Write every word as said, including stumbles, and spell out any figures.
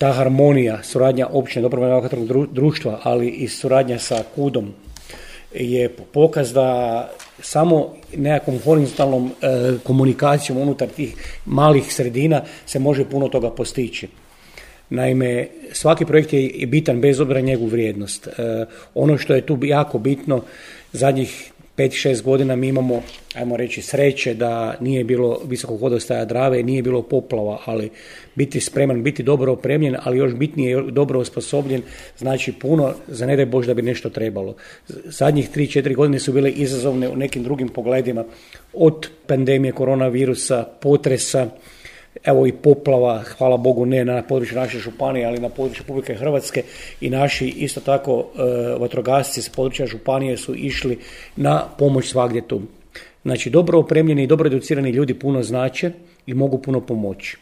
ta harmonija, suradnja općine dobrovoljnog vatrogasnog društva, ali i suradnja sa KUD-om je pokaz da samo nekakvom horizontalnom e, komunikacijom unutar tih malih sredina se može puno toga postići. Naime, svaki projekt je bitan bez obzira na njegovu vrijednost. E, ono što je tu jako bitno, zadnjih pet šest godina mi imamo, ajmo reći, sreće da nije bilo visokog vodostaja Drave, nije bilo poplava, ali biti spreman, biti dobro opremljen, ali još bitnije dobro osposobljen, znači puno, za ne daj Bož da bi nešto trebalo. Zadnjih tri četiri godine su bile izazovne u nekim drugim pogledima, od pandemije koronavirusa, potresa, evo i poplava, hvala Bogu ne na području naše županije, ali na području Republike Hrvatske, i naši isto tako e, vatrogasci s područja županije su išli na pomoć svagdje tu. Znači dobro opremljeni i dobro educirani ljudi puno znače i mogu puno pomoći.